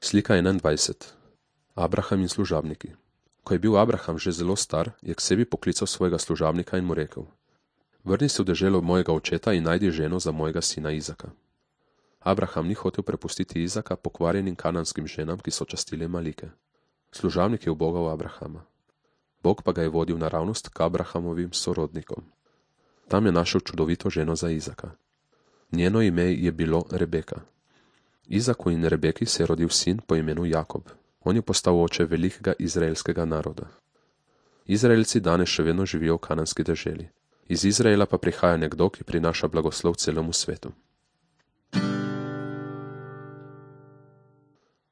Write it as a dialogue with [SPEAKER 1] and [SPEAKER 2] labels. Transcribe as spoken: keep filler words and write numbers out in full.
[SPEAKER 1] Slika enaindvajset. Abraham in služabniki. Ko je bil Abraham že zelo star, je k sebi poklical svojega služabnika in mu rekel: Vrni se v deželo mojega očeta in najdi ženo za mojega sina Izaka. Abraham ni hotel prepustiti Izaka pokvarjenim kananskim ženam, ki so častile Malike. Služabnik je ubogal Abrahama. Bog pa ga je vodil naravnost k Abrahamovim sorodnikom. Tam je našel čudovito ženo za Izaka. Njeno ime je bilo Rebeka. Izaku in Rebeki se je rodil sin po imenu Jakob. On je postal oče velikega izraelskega naroda. Izraelci danes še vedno živijo v kananski deželi. Iz Izraela pa prihaja nekdo, ki prinaša blagoslov celemu svetu.